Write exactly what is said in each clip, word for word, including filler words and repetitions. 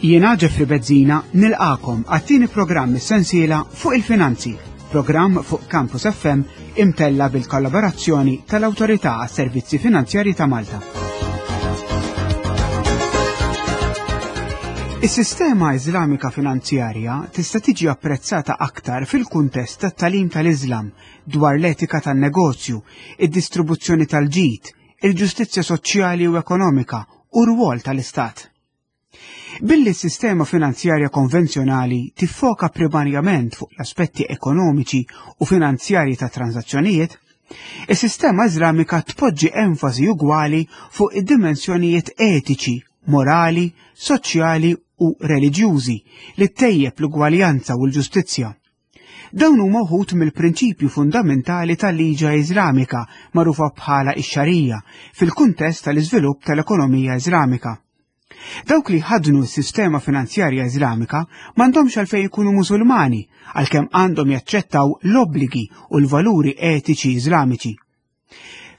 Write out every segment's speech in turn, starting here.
Jiena Jeffrey Bezzina nilqagħkom għat-tieni programm is-sensiela fuq il-finanzi, programm fuq Campus F M imtella bil-kollaborazzjoni tal-Awtorità għas-Servizzi Finanzjarji ta' Malta. Is-sistema Iżlamika finanzjarja tista' tiġi apprezzata aktar fil-kuntest tat-tagħlim tal-Iżlam dwar l-etika tan-negozju, id-distribuzzjoni tal-ġid, il-ġustizzja soċjali u ekonomika u r-rwol tal-Istat. Billi s-sistema finanzjarja konvenzjonali tiffoka primarjament fuq l-aspetti ekonomiċi u finanzjarji ta' transazzjonijiet, is-sistema Iżlamika tpoġġi enfasi ugwali fuq id-dimensjonijiet etiċi, morali, soċjali u reliġjużi li ttejjeb l-ugwaljanza u l-ġustizzja. Dawn huma wħud mill-prinċipju fundamentali tal-liġa Iżlamika, magħrufa bħala ix-xarija, fil-kuntest tal-iżvilupp tal-ekonomija Iżlamika. Dawk li ħadnu s-sistema finanzjarja Iżlamika m'għandhomx għalfejn ikunu Musulmani, għalkemm għandhom jaċċettaw l-obbligi u l-valuri etiċi Iżlamiċi.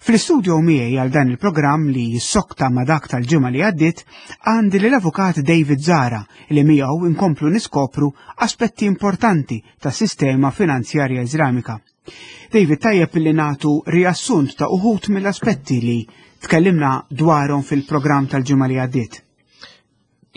Fl-istudio miegħi għal dan il-programm li jissokta ma' dak tal-ġimgħa li għaddiet għandi lill-avukat David Zahra, li miegħu inkomplu niskopru aspetti importanti tas-sistema finanzjarja Iżlamika. David, tajjeb li nagħtu riassunt ta' uħud mill-aspetti li tkellimna dwarhom fil-programm tal-ġimgħa li għaddiet.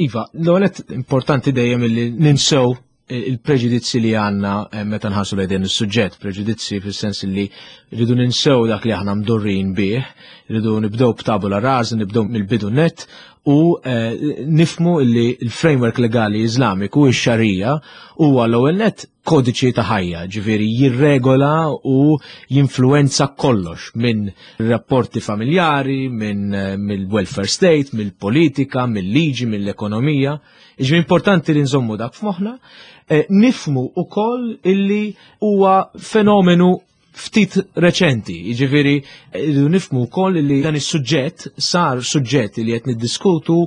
Iva, l-għonet importanti dejjem li ninsew il-preġudizzi li għanna eh, meta nħarsu lejn din is-suġġett, preġudizzi fis-sens li rridu ninsew dak li aħna mdorrin bih, rridu nibdew b'tabula rasa, nibdew mill-bidu net u eh, nifmu li l-framework legali Iżlamiku, ix-xarija, huwa l-ewwel net kodiċi ta' ħajja, ġifieri jirregola u jinfluenza kollox minn rapporti familjari, minn eh, mill-welfare state, mill-politika, mill-liġi, mill-ekonomija. Ġifieri importanti li nżommu dak f'moħħna, eh, nifmu ukoll illi huwa fenomenu ftit reċenti, jiġifieri rridu nifmu wkoll li dan is-suġġett sar suġġett li qed niddiskutu,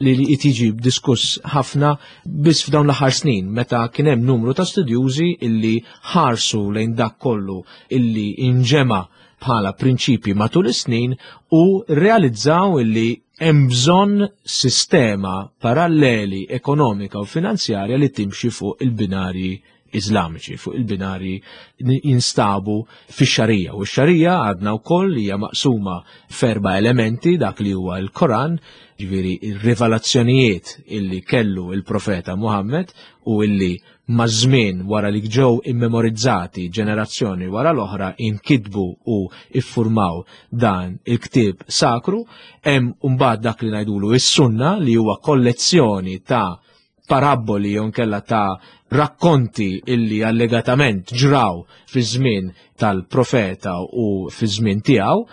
li qed jiġi diskuss ħafna biss f'dawn l-aħħar snin, meta kien hemm numru ta' studjużi illi ħarsu lejn dak kollu illi inġema bħala prinċipji matul is-snin u realizzaw illi hemm bżonn sistema paralleli ekonomika u finanzjarja li timxi fuq il-binarji Iżlamiċi, fuq il-binari jinstabu fix-xarija. U x-xarija għadna wkoll hija maqsuma f'erba' elementi: dak li huwa l-Koran, ġifieri ir-rivelazzjonijiet illi kellu il-profeta Muhammad u illi maż-żmien, wara li ġew immemorizzati ġenerazzjoni wara l-oħra, inkitbu u iffurmaw dan il-ktieb sakru. Hemm mbagħad dak li ngħidulu is-sunna, li huwa kollezzjoni ta' paraboli jew nkella ta' rakkonti illi allegatament ġraw fi żmien tal-profeta u fi żmien tiegħu,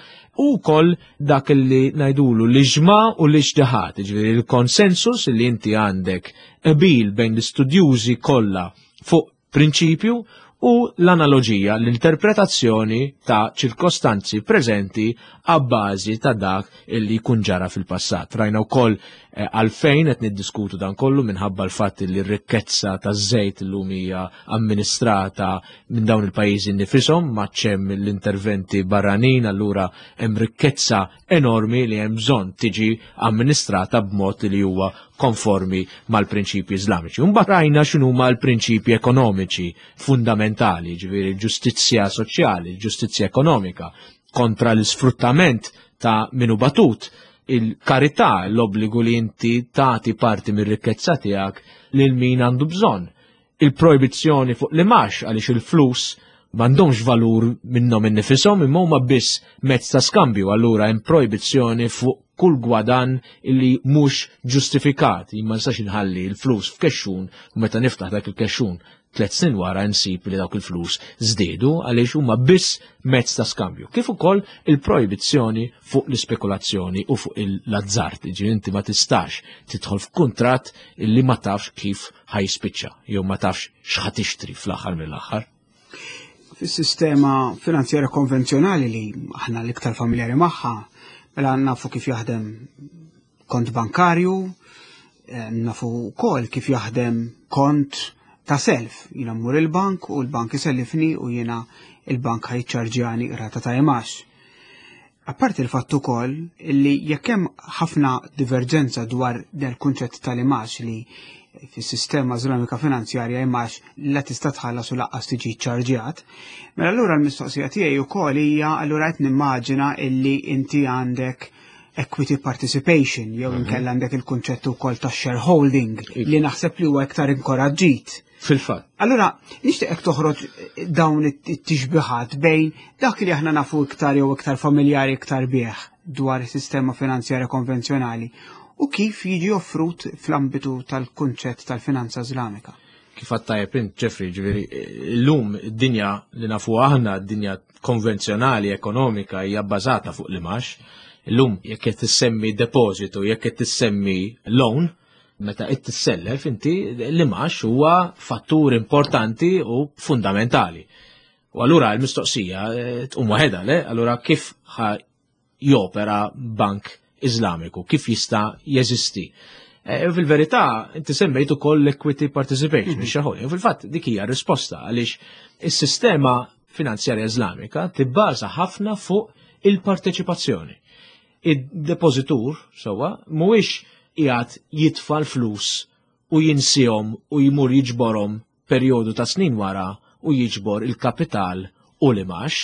u wkoll dak li ngħidulu l-iġma u l-ijtihad, ġifieri l-konsensus li inti għandek qbil bejn l-istudjużi kollha fuq prinċipju, u l-analoġija, l-interpretazzjoni ta' ċirkostanzi preżenti għabbażi ta' dak illi jkun ġara fil-passat. Rajna wkoll eh, għalfejn qed niddiskutu dan kollu, minħabba l-fatt li r-rikkezza taż-żejt illum hija amministrata minn dawn il-pajjiżi nifishom, ma hemm l-interventi barranin, allura hemm rikkezza enormi li hemm bżonn tiġi amministrata b'mod li huwa konformi mal-prinċipji Iżlamiċi. Mbagħad rajna x'inhuma l-prinċipji ekonomiċi fundamentali, ġifieri l-ġustizzja soċjali, l-ġustizzja ekonomika, kontra l-isfruttament ta' minu batut, il-karità, l-obbligu li inti tagħti parti mir-rikkezza tiegħek lil min għandu bżonn, il-projbizzjoni fuq l-imgħax, għaliex il-flus m'għandhomx valur minnhom innifisom imma huma biss mezz ta' skambju, allura hemm projbizzjoni fuq kull gwadan illi mhux ġustifikat. Jien ma nistax inħalli l-flus f'kexxun u meta niftaħ dak il-kexxun tliet snin wara nsib li dawk il-flus żdiedu, għaliex huma biss mezz ta' skambju. Kif ukoll il-projbizzjoni fuq l-ispekulazzjoni u fuq l-azzard, ġifieri inti ma tistax tidħol f'kuntratt illi ma tafx kif ħajspiċċa jew ma tafx x'ħa tixtri fl-aħħar mill-aħħar. Fis-sistema finanzjarja konvenzjonali li aħna l-iktar familjari magħha, mela nafu kif jaħdem kont bankarju, eh, nafu wkoll kif jaħdem kont ta' self. Jiena mmur il-bank u l-bank isellifni u jiena il-bank ħa jiċċarġjani rata ta' imax. Apparti il-fatt ukoll li jekk hemm ħafna diverġenza dwar del kunċett tal-imgħax, li fis-sistema Iżlamika finanzjarja imgħax la tista' tħallas u lanqas tiġi ċarġjat, mela allura l-mistoqsija tiegħi wkoll hija, allura qed nimmaġina illi inti għandek equity participation jew mhm. inkella għandek il-kunċett ukoll ta' shareholding li naħseb li huwa iktar inkoraġġit. Fil-fatt. Allura, nixtieqek toħroġ dawn it-tixbiħat bejn dak li aħna nafu iktar jew iktar familjari iktar bih dwar is-sistema finanzjarja konvenzjonali u kif jiġi offrut fl-ambitu tal-kunċett tal-finanza Iżlamika. Kif għedt int, Jeffrey, ġifieri, l-lum id-dinja li nafu aħna, d-dinja konvenzjonali ekonomika, hija bbażata fuq l-imgħax. Illum jekk qed tissemmi depositu, jekk qed tissemmi loan, meta qed tissellef inti, l-imgħax huwa fattur importanti u fundamentali. U allura l-mistoqsija eh, tqum waħedha, le? Allura kif ħa jopera bank Iżlamiku, kif jista' jeżisti? E, fil-verità, inti semmejt ukoll l-equity participation, mm -hmm. Fil-fatt dik hija risposta, għaliex is-sistema finanzjarja Iżlamika tibbaża ħafna fuq il-parteċipazzjoni. Id-depozitur, sewwa, mhuwiex qiegħed jitfa' l-flus u jinsihom u jmur jiġborhom perjodu ta' snin wara u jiġbor il-kapital u l-imgħax,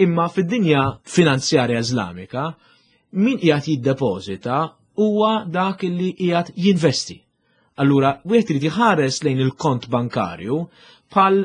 imma fid-dinja finanzjarja Iżlamika min qiegħed jiddepożita huwa dak li qiegħed jinvesti. Allura, wieħed irid jħares lejn il-kont bankarju bħal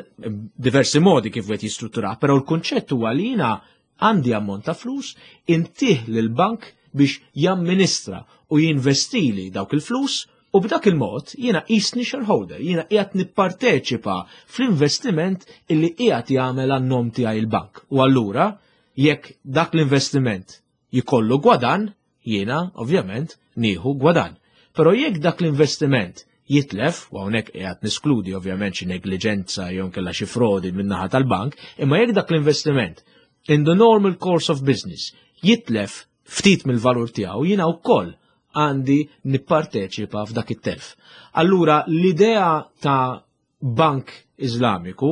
diversi modi kif wieħed jistruttura, però l-kunċett huwa li jiena għandi ammont ta' flus, intih lil bank biex jamministra u jinvestili dawk il-flus, u b'dak il-mod jiena jisni shareholder, jiena qiegħed nipparteċipa fl-investiment illi qiegħed jagħmel għan-nom tiegħi il-bank. U allura jekk dak l-investiment jikollu gwadan, jiena ovvjament nieħu gwadan. Però jekk dak l-investiment jitlef, u hawnhekk qiegħed niskludi ovvjament xi negliġenza jew kella xi frodi min-naħa tal-bank, imma jekk dak l-investiment in the normal course of business jitlef ftit mill-valur tiegħu, jiena wkoll għandi nipparteċipa f'dak it-telf. Allura l-idea ta' bank Iżlamiku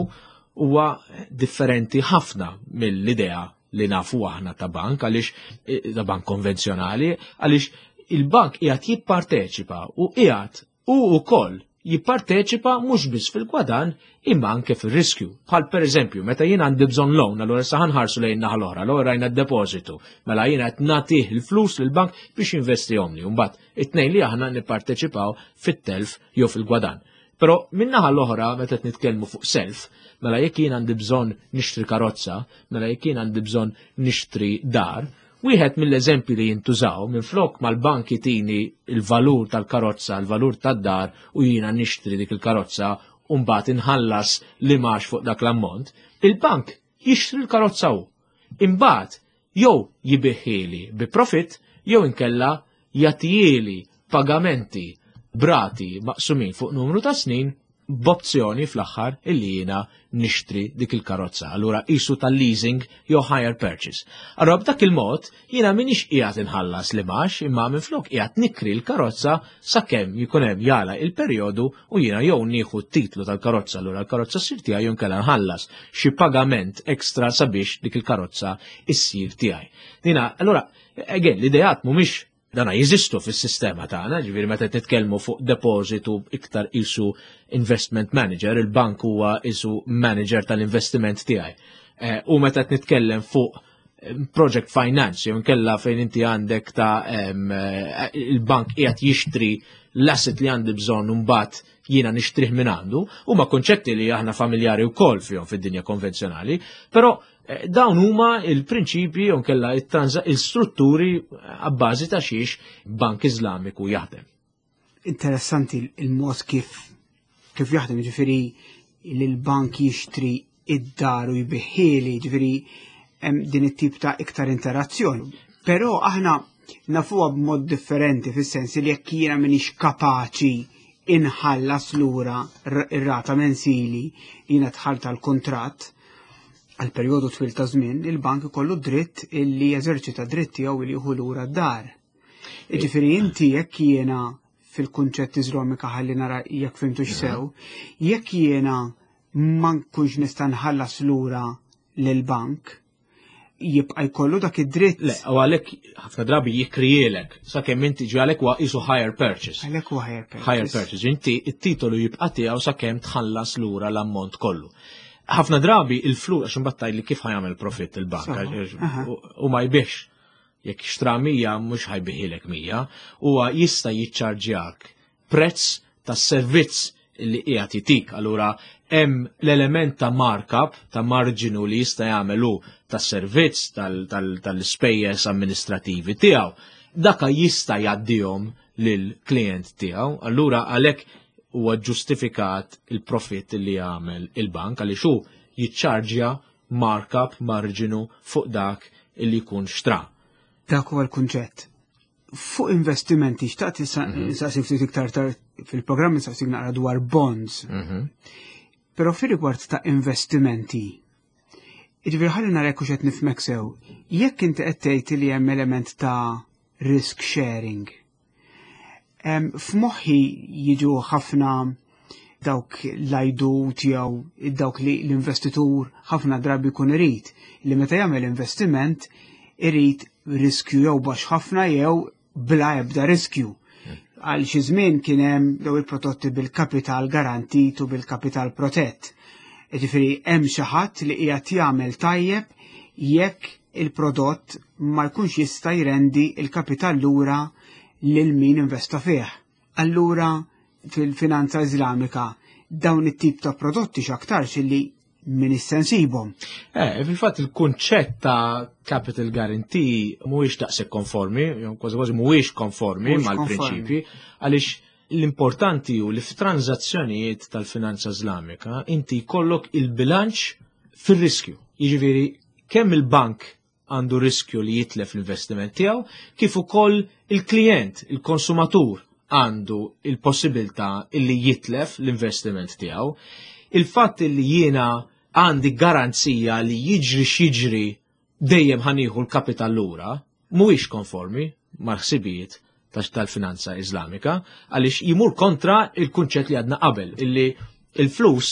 huwa differenti ħafna mill-idea li nafu aħna ta' bank, għaliex eh, ta' bank konvenzjonali, għaliex il-bank qiegħed jipparteċipa u qiegħed u wkoll jipparteċipa mhux biss fil-gwadan imma anke fil-riskju. Bħal per eżempju, meta jien għandi bżonn loan, allura sa nħarsu lejn naħa l-oħra, l rajna d-depositu, mela jiena qed nagħtih il-flus lill-bank biex jinvestihomli, u mbagħad it-tnejn li aħna nipparteċipaw fit-telf jew fil-gwadan. Però minn naħa l-oħra, meta qed nitkellmu fuq self, mela jekk jien għandi bżonn nixtri karozza, mela jekk jien għandi bżonn nixtri dar, wieħed mill-eżempji li jintużaw, minn flok mal-bank jtini il-valur tal-karozza, il-valur tad-dar, u jiena nixtri dik il-karozza u mbagħad inħallas l-imgħax fuq dak l-ammont, il-bank jixtri l-karozza hu. Imbagħad jew jbigħhieli bi profit jew inkella jagħtihieli pagamenti b'rati maqsumin fuq numru ta' snin, b'opzjoni fl-aħħar illi jiena nixtri dik il-karozza. Allura qisu tal-leasing jew hire purchase. Allura b'dak il-mod jiena minix qiegħed inħallas l-imgħax, imma minflok qiegħed nikri l-karozza sakemm jkun hemm jala il-perjodu u jiena jew nieħu t-titlu tal-karozza, allura l-karozza ssir tiegħi, jew inkella nħallas xi pagament ekstra sabiex dik il-karozza issir tiegħi. Dina, allura, again, l-ideat mhumiex dana jeżistu fis-sistema tagħna, ġifieri meta titkellmu fuq depositu iktar qisu investment manager, il-bank huwa qisu manager tal-investiment tiegħi. Eh, u meta nitkellem fuq eh, project finance, jew nkella fejn inti għandek ta' eh, il-bank qiegħed jixtri l-asset li għandi bżonn u mbagħad jiena nixtrih minn għandu, huma konċetti li aħna familjari wkoll fihom fid-dinja konvenzjonali, però Eh, dawn huma il-prinċipji u nkella il-strutturi għabbażi ta' xiex bank Iżlamiku jaħdem. Interessanti il-mod kif kif jaħdem, ġifieri li l-bank jixtri id-dar u jbigħhieli, ġifieri din it-tip ta' iktar interazzjoni. Però aħna nafuha b'mod differenti, fis-sens li jekk jiena m'iniex kapaċi inħallas lura ir-rata mensili, jiena dħalt tal-kontratt għal perjodu twil ta' żmien, il-bank ikollu dritt illi jeżerċita dritt tiegħu li jieħu lura d-dar. Jiġifieri inti jekk jiena fil-kunċett Iżlamika, ħalli nara jekk fhimtux sew, jekk jiena ma nkunx nista' nħallas lura lill-bank, Jibqa' jkollu dak id-dritt. Le, u għalhekk ħafna drabi jikrielek, sakemm inti ġi, għalhekk huwa qisu hire purchase. Għalhekk huwa hire purchase. Hire purchase. Inti it-titolu jibqa' tiegħu sakemm tħallas lura l-ammont kollu. Ħafna drabi il-flus, għax imbagħad li kif ħa jagħmel profitt il-bank, u ma jbiex, jekk xtra mija mhux ħa jbigħlek mija, huwa jista' jiċċarġjak prezz tas-servizz li qiegħed jitik. Allura hemm l-element ta' markup, ta' marġinu li jista' jagħmel hu tas-servizz tal-ispejjeż amministrativi tiegħu. Daka jista' jgħaddihom lill-klient tiegħu. Allura għalhekk huwa ġustifikat il-profitt li jagħmel il-bank, għaliex hu jiċċarġja markup, marġinu fuq dak li jkun xtra. Dak huwa l-kunċett. Fuq investimenti, xtaqt nsaqsi ftit iktar tard fil-programm, nsaqsik naqra dwar bonds. Mhm. Però fir rigward ta' investimenti, jiġifieri ħalli narek hux qed nifhmek sew, jekk inti qed tgħid li hemm element ta' risk sharing. F'moħħi jiġu ħafna dawk l-għajdut jew dawk li l-investitur ħafna drabi jkun irid li meta jagħmel investiment irid riskju jew baxx ħafna jew bla ebda riskju. Għal xi żmien kien hemm daw il-prodotti bil-kapital garantit u bil-kapital protett. Jiġifieri hemm xi ħadd li qiegħed jagħmel tajjeb jekk il-prodott ma jkunx jista' jrendi il-kapital lura lil min investa fih. Allura fil-finanza Iżlamika dawn it-tip ta' prodotti x'aktarx illi min issensibhom. Eh, fil-fatt il-kunċett ta' capital guarantee mhuwiex daqshekk konformi, kważi kważi mhuwiex konformi mal-prinċipi, għaliex l-importanti hu li f'tranzazzjonijiet tal-finanza Iżlamika inti jkollok il-bilanċ fir-riskju. Jiġifieri kemm il-bank għandu riskju li jitlef l-investiment tiegħu, kif ukoll il-klient, il-konsumatur għandu il-possibilità illi jitlef l-investiment tiegħu. Il-fatt li jiena għandi garanzija li jiġri x'jiġri dejjem ħa nieħu l-kapital lura mhuwiex konformi mal-ħsibijiet tal-finanza Iżlamika, għaliex jimur kontra il-kunċett li għadna qabel, illi il-flus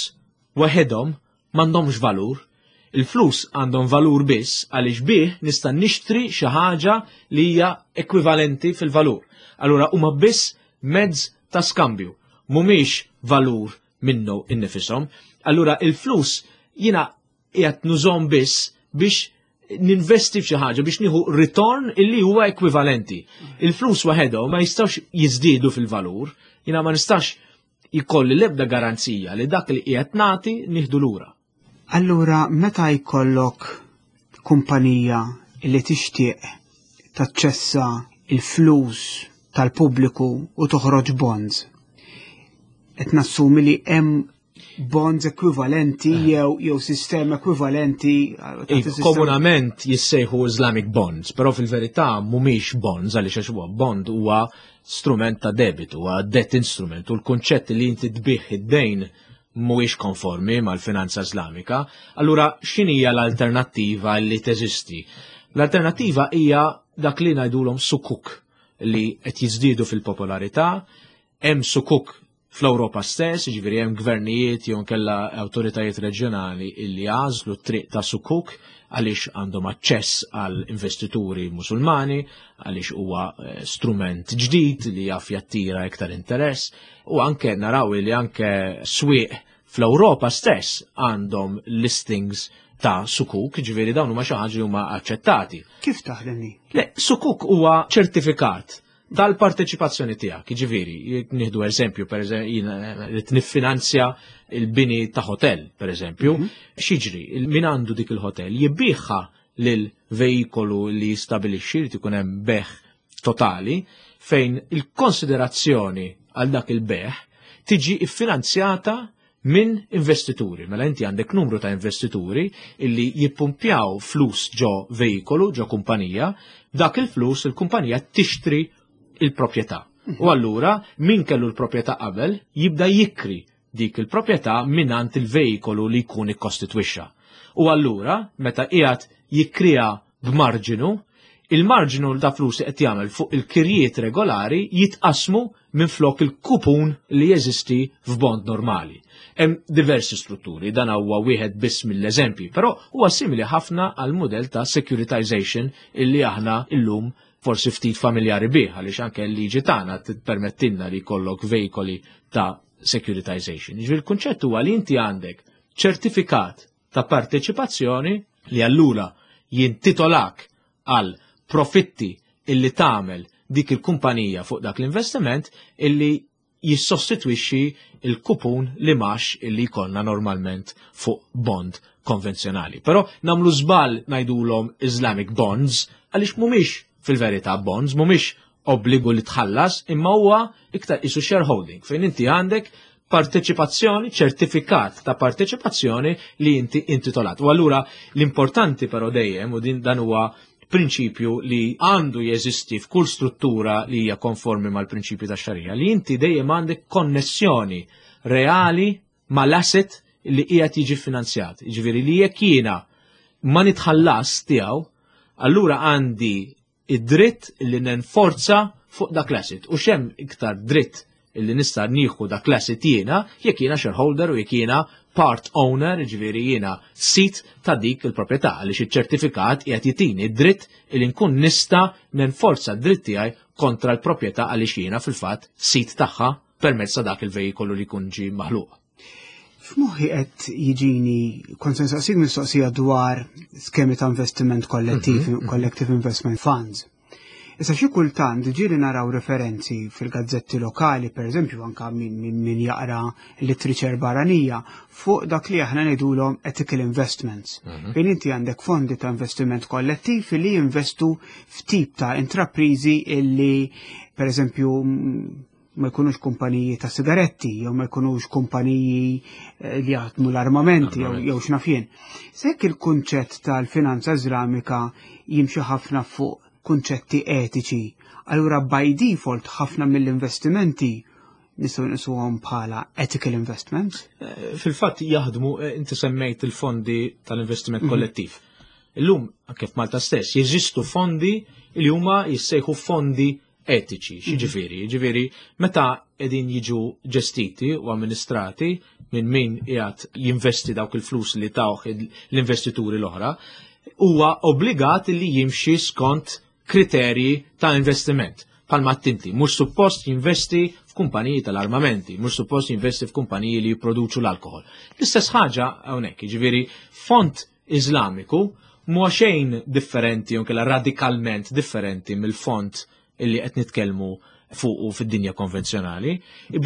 waħedhom m'għandhomx valur, il-flus għandhom valur biss għaliex bih nista' nixtri xi ħaġa li hija ekwivalenti fil-valur. Allura huma biss mezz ta' skambju, mhumiex valur minnu innifisom. Allura il-flus jiena qiegħed nużahom biss biex ninvesti f'xi ħaġa biex nieħu ritorn illi huwa ekwivalenti. Il-flus waħedhom ma jistgħux jiżdiedu fil-valur, jiena ma nistax jkolli l-ebda garanzija li dak li qiegħed nagħti nieħdu lura. Allura meta jkollok kumpanija li tixtieq taċċessa il-flus tal-pubbliku u toħroġ bonds, qed nassumi li hemm bonds ekwivalenti eh. jew jew sistema ekwivalenti. Komunament jissejħu Islamic bonds, però fil-verità mhumiex bonds, għaliex għax huwa bond huwa strument ta' debit, huwa debt instrument, u l-kunċett li inti tbigħ id-dejn mhuwiex konformi mal-finanza Islamika. Allura x'inhija l-alternattiva li teżisti? L-alternattiva hija dak li ngħidulhom sukuk, li qed jiżdiedu fil-popolarità. Hemm sukuk fl-Ewropa stess, ġifieri hemm gvernijiet jew kella awtoritajiet reġjonali illi għażlu t-triq ta' sukuk għaliex għandhom aċċess għal investituri musulmani, għaliex huwa eh, strument ġdid li jaf jattira iktar interess, u anke naraw li anke swieq fl-Ewropa stess għandhom listings ta' sukuk, ġifieri dawn huma xi ħaġa li huma aċċettati. Kif taħdem? Le, sukuk huwa ċertifikat tal-parteċipazzjoni tiegħek, jiġifieri, nieħdu eżempju, per eżempju, li niffinanzja il-bini ta' hotel, per eżempju, mhm. x'jiġri, min għandu dik il-hotel jibbiħha lil veikolu li jistabilixxi li tkun hemm bejgħ totali, fejn il-konsiderazzjoni għal dak il-bejgħ tiġi iffinanzjata minn investituri. Mela inti għandek numru ta' investituri illi jippumpjaw flus ġo veikolu, ġo kumpanija, dak il-flus il-kumpanija tixtri il-proprjetà. U allura min kellu l-proprjetà qabel jibda jikri dik il-proprjetà minant il-veikolu li jkun ikkostitwixxa. U allura meta qiegħed jikrija b'marġinu, Il-marġinu ta' flus li qed jagħmel fuq il-kirjiet regolari jitqasmu minn flok il-kupun li jeżisti f'bond normali. Hemm diversi strutturi, dan huwa wieħed biss mill-eżempji, però huwa simili ħafna għal mudell ta' securitization illi aħna illum forsi ftit familjari bih, għaliex anke l-liġi tagħna tippermettilna li jkollok veikoli ta' securitization. Jiġifieri il-kunċett huwa li inti għandek ċertifikat ta' parteċipazzjoni li allura jintitolak għal profitti illi tagħmel dik il-kumpanija fuq dak l-investiment illi jissostitwixxi il-kupun li max illi jkollna normalment fuq bond konvenzjonali. Però nagħmlu żball ngħidulhom Islamic bonds għaliex mhumiex fil-verità bonds, mhumiex obbligu li tħallas, imma huwa iktar isu shareholding fejn inti għandek parteċipazzjoni, ċertifikat ta' parteċipazzjoni li inti intitolat. U allura l-importanti però dejjem, u din dan huwa prinċipju li għandu jeżisti f'kull struttura li hija konformi mal-prinċipju ta' xarija, li inti dejjem għandek konnessjoni reali mal-asset li qiegħed jiġi finanzjat. Jiġifieri li jekk jiena ma nitħallas tiegħu, allura għandi id-dritt li nenforza fuq dak l-asset. U x'hemm iktar dritt illi nista' nieħu dak l-asset jiena jekk jiena shareholder u jekk jiena part owner, ġifieri jiena sid ta' dik il-proprjetà, għaliex iċ-ċertifikat qiegħed jitini dritt illi nkun nista' nenforza d-dritt tiegħi kontra l-proprjetà għaliex jiena fil-fatt sid tagħha permezz ta' dak il-vejikolu li jkun ġie maħluq. F'moħħi qed jiġini kont se nsaqsik mistoqsija dwar skemi ta' investiment kollettiv, mm -hmm. collective investment funds. Issa xi kultant ġieli naraw referenzi fil-gazzetti lokali, per eżempju, anka min, min, min jaqra literature barranija, fuq dak li aħna ngħidulhom ethical investments. Mm -hmm. Fejn inti għandek fondi ta' investiment kollettiv li jinvestu f'tip ta' intraprizi illi, per eżempju, ma jkunux kumpaniji ta' sigaretti, jew ma jkunux kumpaniji eh, li jaħdmu l-armamenti, jew jew x'naf jien. Jekk il-kunċett tal-finanza Iżlamika jimxi ħafna fuq kunċetti etiċi, allura by default ħafna mill-investimenti nistgħu nqisuhom bħala ethical investments? Eh, fil-fatt jaħdmu, eh, inti semmejt il-fondi tal-investiment mhm. kollettiv. Illum, anke f'Malta stess, jeżistu fondi li huma jissejħu fondi etiċi, x'jiġifieri? Jiġifieri, meta qegħdin jiġu ġestiti u amministrati minn min qiegħed jinvesti dawk il-flus li tawh l-investituri l-oħra, huwa obbligat li jimxi skont kriterji ta' investiment. Palma tinti, mhux suppost jinvesti f'kumpaniji tal-armamenti, mhux suppost jinvesti f'kumpaniji li jipproduċu l-alkohol. L-istess ħaġa hawnhekk, jiġifieri fond Iżlamiku mhuwa xejn differenti jew radikalment differenti mill-fond illi qed nitkellmu fuq fid-dinja konvenzjonali.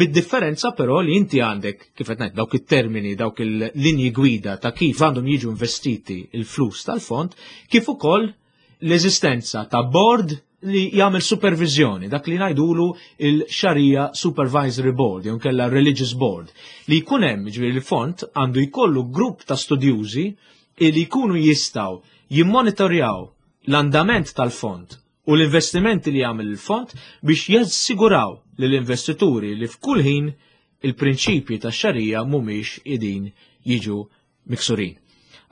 Bid-differenza però li inti għandek, kif qed ngħid, dawk it-termini, dawk il-linji gwida ta' kif għandhom jiġu investiti il-flus tal-fond, kif ukoll l-eżistenza ta' board li jagħmel supervizjoni, dak li ngħidulu il-Sharia Supervisory Board, jew kella Religious Board, li jkun hemm, ġifieri il-fond għandu jkollu grupp ta' studjużi li jkunu jistgħu jimmonitorjaw l-andament tal-fond u l-investimenti li jagħmel il-fond biex jassiguraw li l-investituri li f'kull ħin il-prinċipji tax-xarija mhumiex qegħdin jiġu miksurin.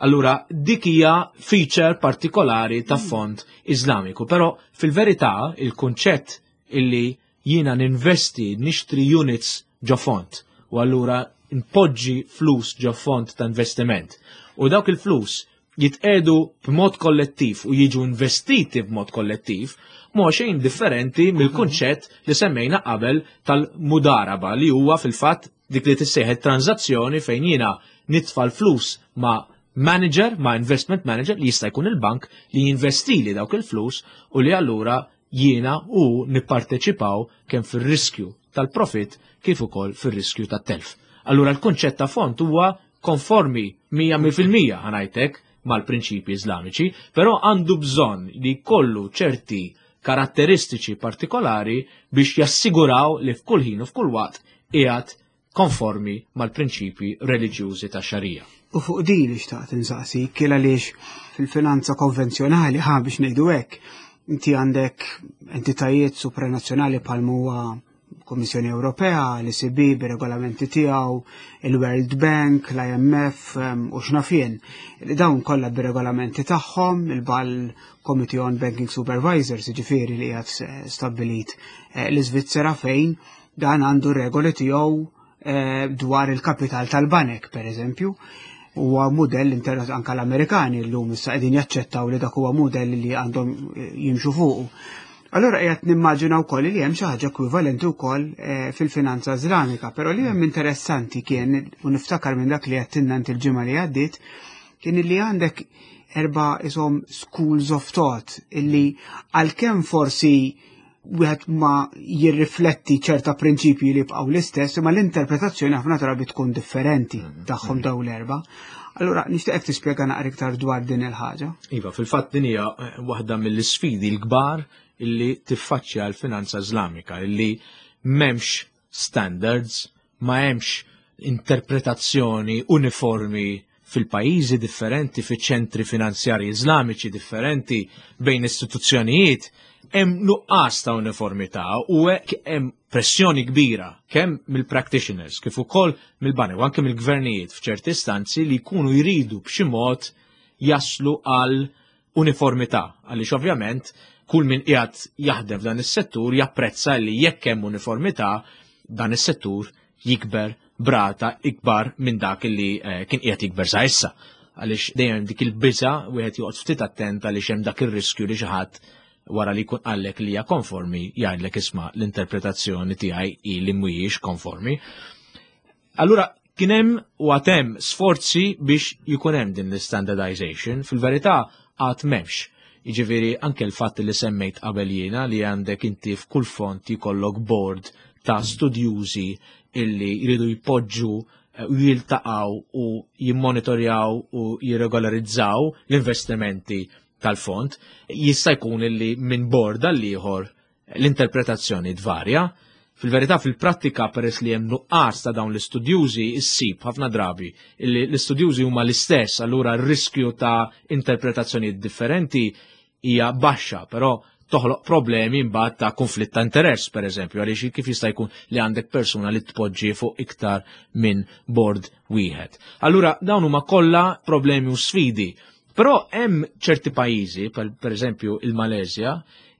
Allura dik hija feature partikolari ta' fond Iżlamiku, però fil-verità il-kunċett illi jiena ninvesti nixtri units ġo fond u allura npoġġi flus ġo fond ta' investiment u dawk il-flus jitqedu b'mod kollettiv u jiġu investiti b'mod kollettiv, mhu xejn differenti mill-kunċett li semmejna qabel tal-mudaraba, li huwa fil-fatt dik li tissejħet tranzazzjoni fejn jiena nitfa' l-flus ma' manager, ma' investment manager li jista' jkun il-bank li jinvestili dawk il-flus u li allura jiena u nipparteċipaw kemm fir-riskju tal-profit kif ukoll fir-riskju tat-telf. Allura l-kunċett ta' fond huwa konformi mija fil-mija, ħa ngħidlek, mal-prinċipi Iżlamiċi, però għandu bżonn li kollu ċerti karatteristiċi partikolari biex jassiguraw li f'kull ħin u f'kull waqt qiegħed konformi mal-prinċipi reliġjużi ta' xarija. U fuq din xtaqt insaqsi, kiel għaliex fil-finanza konvenzjonali, ħa biex ngħidu hekk, inti għandek entitajiet supranazzjonali bħal huwa Kummissjoni Ewropea, l-E C B bir-regolamenti tiegħu, il-World Bank, l I M F u x'naf jien. Dawn kollha bir-regolamenti tagħhom, il-Basel Committee on Banking Supervisors, ġifieri li qiegħed stabbilit eh, l-Iżvizzera, fejn dan għandu regoli tiegħu eh, dwar il-kapital tal-banek, per eżempju. Huwa mudell anka l-Amerikani llum issa qegħdin jaċċettaw li dak huwa mudell li għandhom eh, jimxu fuqu. Allora qiegħed nimmaġina wkoll li hemm xi ħaġa ekwivalenti wkoll eh, fil-finanza Iżlamika, però li hemm interessanti kien, u niftakar minn dak li għedtilna int il-ġimgħa li għaddiet, kien li għandek erba' isom schools of thought illi għalkemm forsi wieħed ma jirrifletti ċerta prinċipji li jibqgħu l-istess, imma l-interpretazzjoni ħafna drabi tkun differenti mm-hmm. tagħhom dawn l-erba'. Allura nixtieqek tispjega naqra iktar dwar din il-ħaġa. Iva, fil-fatt din hija eh, waħda mill-isfidi l-kbar illi tiffaċċja l-finanza Iżlamika, illi m'hemmx standards, ma hemmx interpretazzjoni uniformi fil-pajjiżi differenti, fiċ-ċentri finanzjari Iżlamiċi differenti, bejn istituzzjonijiet, hemm nuqqas ta' uniformità u hekk hemm pressjoni kbira kemm mill-practitioners kif ukoll mill-banek u anke mill-gvernijiet f'ċerti istanzi li jkunu jridu b'xi mod jaslu għal uniformità, għaliex ovvjament kull min qiegħed jaħdem f'dan is-settur japprezza li jekk hemm uniformità, dan is-settur jikber b'rata ikbar minn dak li eh, kien qiegħed jikber sa issa. Għaliex dejjem dik il-biża, wieħed joqgħod ftit attent għaliex hemm dak ir-riskju li xi ħadd wara li jkun qallek li hija konformi jgħidlek, "Isma', l-interpretazzjoni tiegħi hi li mhuwiex konformi." Allura kien hemm u għad hemm sforzi biex jkun hemm din l-standardization, fil-verità għad m'hemmx. Jiġifieri anke l-fatt li semmejt qabel jiena li għandek inti f'kull fond jkollok board ta' studjużi illi jridu jpoġġu eh, u jiltaqgħu u jimmonitorjaw u jirregolarizzaw l-investimenti tal-fond, jista' jkun illi minn board għal ieħor l-interpretazzjoni tvarja. Fil-verità, fil-prattika, peress li hemm nuqqas ta' dawn l-istudjużi, issib ħafna drabi illi l-istudjużi huma l-istess, allura r-riskju ta' interpretazzjoni differenti hija baxxa, però toħloq problemi mbagħad ta' konflitt ta' interess, per eżempju, għaliex kif jista' jkun li għandek persuna li tpoġġi fuq iktar minn board wieħed? Allura dawn huma kollha problemi u sfidi. Però hemm ċerti pajjiżi, per, per eżempju il-Malezja,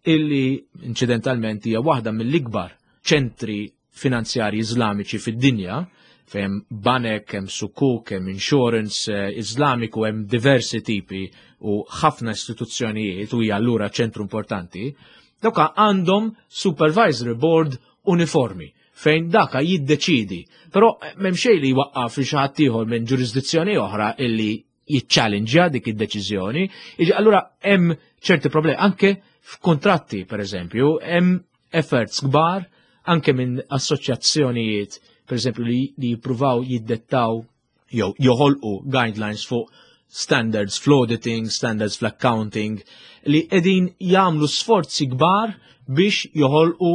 illi incidentalment hija waħda mill-ikbar ċentri finanzjari Iżlamiċi fid-dinja, fejn banek, hemm sukuk, hemm insurance eh, Iżlamiku, hemm diversi tipi u ħafna istituzzjonijiet u hija allura ċentru importanti, dawka għandhom supervisory board uniformi fejn daka jiddeċidi. Però eh, m'hemm xejn li jwaqqaf li xi ħadd ieħor minn ġurisdizzjoni oħra illi jiċċallenġja dik id-deċiżjoni. Iġi, allura hemm ċerti problemi anke f'kontratti, per eżempju, hemm efforts kbar anke minn assoċjazzjonijiet, per eżempju, li, li jippruvaw jiddettaw jew joħolqu guidelines fuq standards fl-auditing, standards fl-accounting, li qegħdin jagħmlu sforzi kbar biex joħolqu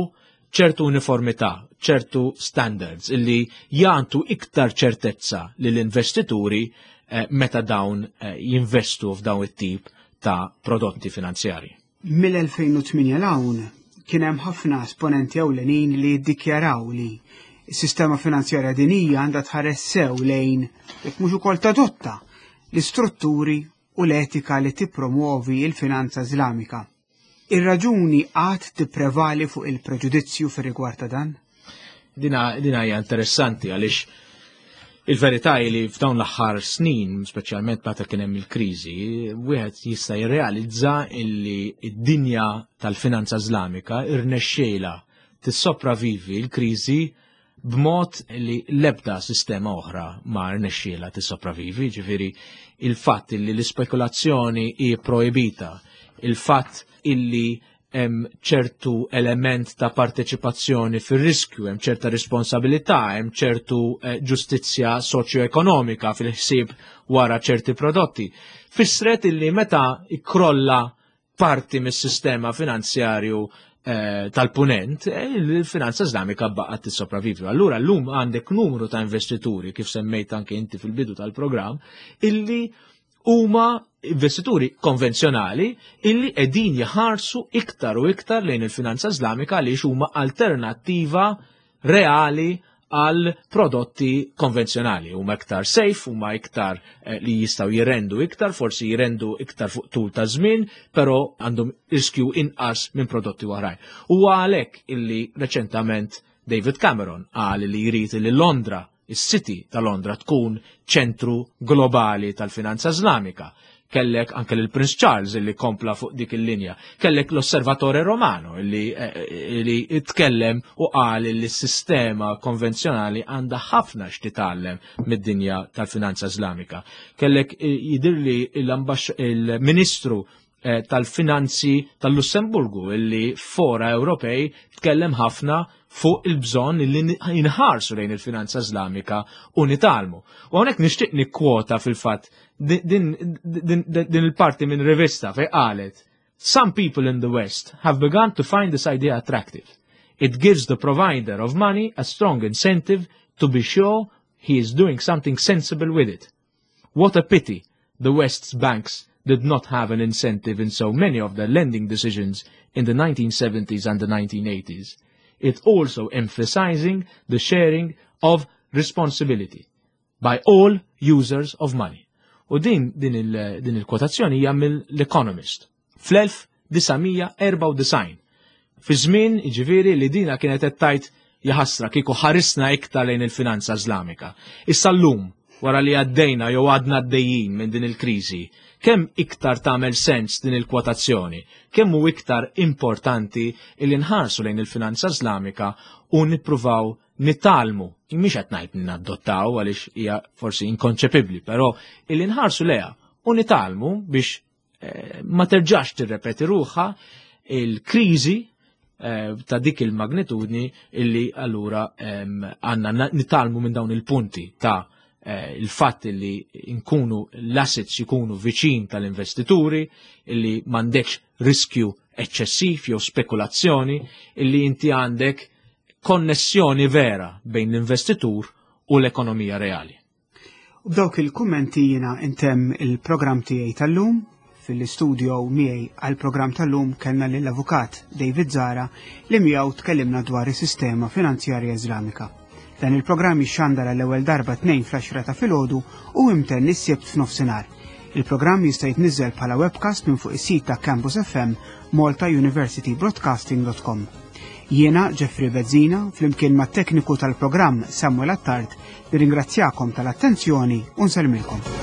ċertu uniformità, ċertu standards illi jagħtu iktar ċertezza lill-investituri eh, meta dawn eh, jinvestu f'dawn it-tip ta' prodotti finanzjari. Mill-elfejn u tmienja 'l hawn kien hemm ħafna esponenti ewlenin li ddikjaraw li s-sistema finanzjarja dinija għandha tħares sew lejn, jekk mhux ukoll tadotta, l-istrutturi u l-etika li tippromuovi il-finanza Iżlamika. Ir-raġuni għad tipprevali fuq il-preġudizzju fir rigward ta' dan? Dina, dina hija interessanti għaliex il-verità hi li f'dawn l-aħħar snin, speċjalment meta kien hemm il-kriżi, wieħed jista' jirrealizza illi d-dinja tal-finanza Iżlamika irnexxiela tissopravivi l-kriżi b'mod li l-ebda sistema oħra ma rnexxiela tissopravivi, ġifieri il-fatt illi l-ispekulazzjoni hi projbita, il-fatt illi hemm ċertu element ta' parteċipazzjoni fir-riskju, hemm ċerta responsabilità, hemm ċertu eh, ġustizzja soċjo-ekonomika fil-ħsieb wara ċerti prodotti. Fissret illi meta ikkrolla parti mis-sistema finanzjarju eh, tal-punent, eh, il-finanza Islamika baqgħet tissopravivi. Allura llum għandek numru ta' investituri, kif semmejt anke inti fil-bidu tal-programm, illi huma investituri konvenzjonali illi qegħdin jħarsu iktar u iktar lejn il-finanza Islamika għaliex huma alternattiva reali għal prodotti konvenzjonali. Huma iktar safe, huma iktar eh, li jistgħu jirendu iktar, forsi jirendu iktar fuq tul ta' żmien, però għandhom riskju inqas minn prodotti oħrajn. U għalhekk illi reċentament David Cameron qal li jrid li Londra, is-City ta' Londra, tkun ċentru globali tal-finanza Islamika. Kellek anke l-Prince Charles illi kompla fuq dik il-linja. Kellek l-Osservatore Romano illi, eh, li tkellem u qal li s-sistema konvenzjonali għandha ħafna x'titgħallem mid-dinja tal-finanza Islamika. Kellek eh, jidirli il-Ministru eh, tal-Finanzi tal-Lussemburgu illi fora Ewropej tkellem ħafna fuq il-bżonn li inħarsu lejn il-finanza Islamika u nitgħallmu. U hawnhekk nixtieq nikkwota fil-fatt din, din, din il-parti minn rivista fej qalet: "Some people in the West have begun to find this idea attractive. It gives the provider of money a strong incentive to be sure he is doing something sensible with it. What a pity the West's banks did not have an incentive in so many of their lending decisions in the nineteen seventies and the nineteen eighties. It also emphasizing the sharing of responsibility by all users of money." U din din il-kwotazzjoni hija mill-Economist fl-elf disa' mija erbgħa u disgħin. Fi żmien jiġifieri li dina kienet qed tgħid jaħasra kieku ħarisna iktar lejn il-finanza Islamika. Issa llum, wara li għaddejna jew għadna għaddejjin minn din il-kriżi, kemm iktar tagħmel sens din il-kwotazzjoni, kemm hu iktar importanti li nħarsu lejn il-finanza Islamika u nippruvaw nitgħallmu, mhix qed ngħid nadottaw għaliex hija forsi inkonċepibbli, però illi nħarsu lejha u nitgħallmu biex eh, ma terġax tirrepeti ruħha il-kriżi eh, ta' dik il-magnitudni, illi allura għandna nitgħallmu minn dawn il-punti ta' eh, il-fatt li nkunu l-assets jkunu viċin tal-investituri, illi m'għandekx riskju eċċessiv jew spekulazzjoni, illi inti għandek konnessjoni vera bejn l-investitur u l-ekonomija reali. U b'dawk il-kummenti jiena intemm il-programm tiegħi tal-lum. Fil-studio miegħi għal-programm tal-lum kellna lill-avukat David Zara li miegħu tkellimna dwar is-sistema finanzjarja Iżlamika. Dan il-programm jixxandar l-ewwel darba tnejn fl-għaxra ta' filgħodu u imtenn is-Sibt f'nofsinhar. Il-programm jista' jitniżel bħala webcast minn fuq is-sit ta' Campus F M malta university broadcasting dot com. Jiena Jeffrey Bezzina, flimkien mat-tekniku tal-programm Samuel Attard, nirringrazzjakom tal-attenzjoni u nsellmilkom.